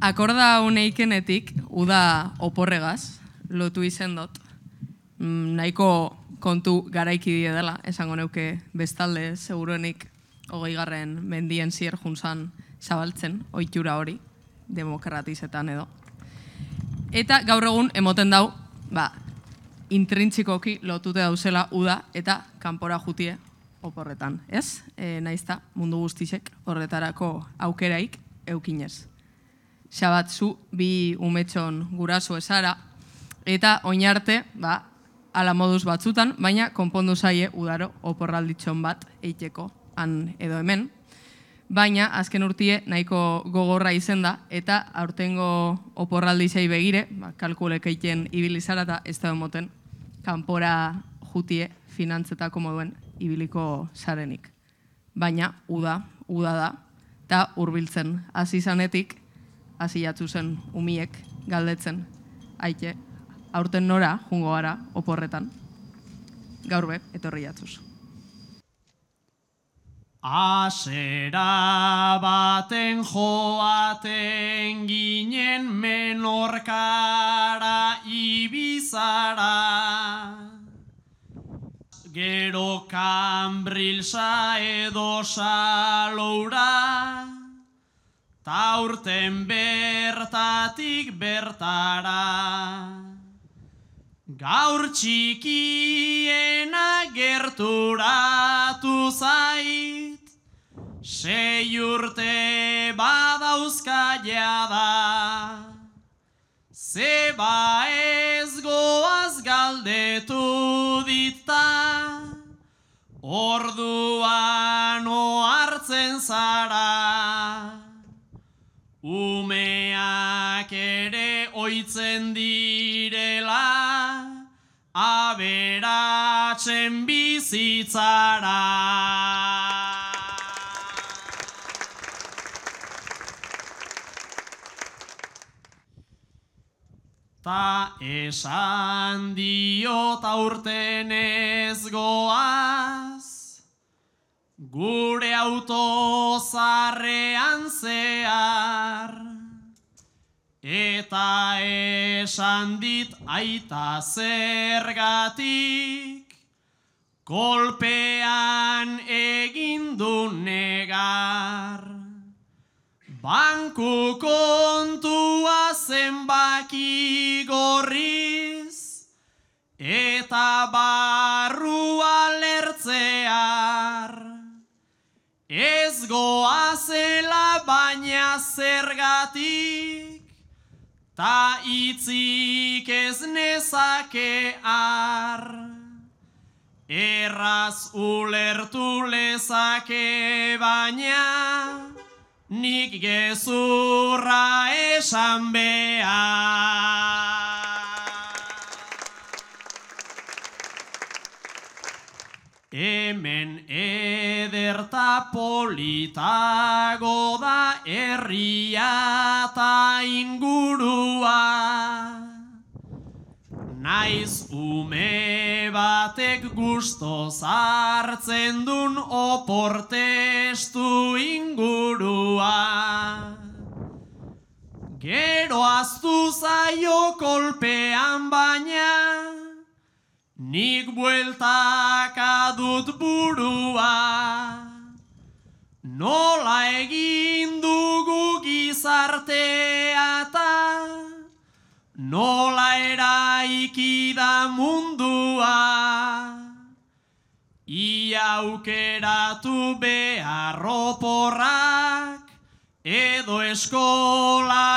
Akorda uneikenetik, uda oporregaz, lotu izen dut. Nahiko kontu garaiki die dela, esango neuke bestalde, seguruenik 20. mendien zier juntzan zabaltzen, ohitura hori, demokratizetan edo. Eta gaur egun emoten dau, intrintxikoki lotute dauzela uda eta kanpora jutie oporretan, ez? Naizta mundu guztisek horretarako aukeraik eukinez. Xabat, zu bi umetxon guraso esara, eta oinarte, ala moduz batzutan, baina konpondu zaie udaro oporralditxon bat eiteko han edo hemen. Baina, azken urtie nahiko gogorra izen da, eta aurtengo oporraldizei begire, kalkulek eiten ibilizara eta ez da emoten, kanpora jutie finantzetako moduen ibiliko zarenik. Baina, uda da, eta hurbiltzen hasi zanetik, hasi jatzu zen umiek galdetzen, aite, aurten nora jungo gara oporretan, gaur be, etorri jatzuz. Asera baten joaten ginen Menorkara Ibizara, gero Kambrilsa edo Saloura, taurten bertatik bertara. Gaur txikiena gerturatu zait, 6 urte badauzka jada. Zeba ez goaz galdetu dita, orduan ohartzen zara. Umeak ere oitzen direla, aberatzen bizitzara. Ta esan diot aurten ez goaz, gure autozarrean zehar, eta esan dit aita zergatik, kolpean egin du negar. Banku kontua zenbaki gorriz, eta barrua lertzear. Ez goazela baina zergatik, ta itzik ez nezakear. Erraz ulertu lezake baina, nik gezurra esan behar. Hemen ederta politago da herria ta ingurua. Naiz ume batek gustoz hartzen dun oportestu ingurua. Gero aztu zaio kolpean baina, nik bueltaka dut burua. Nola egin dugu gizartea eta nola eraiki da mundua. Ia aukeratu behar oporrak edo eskola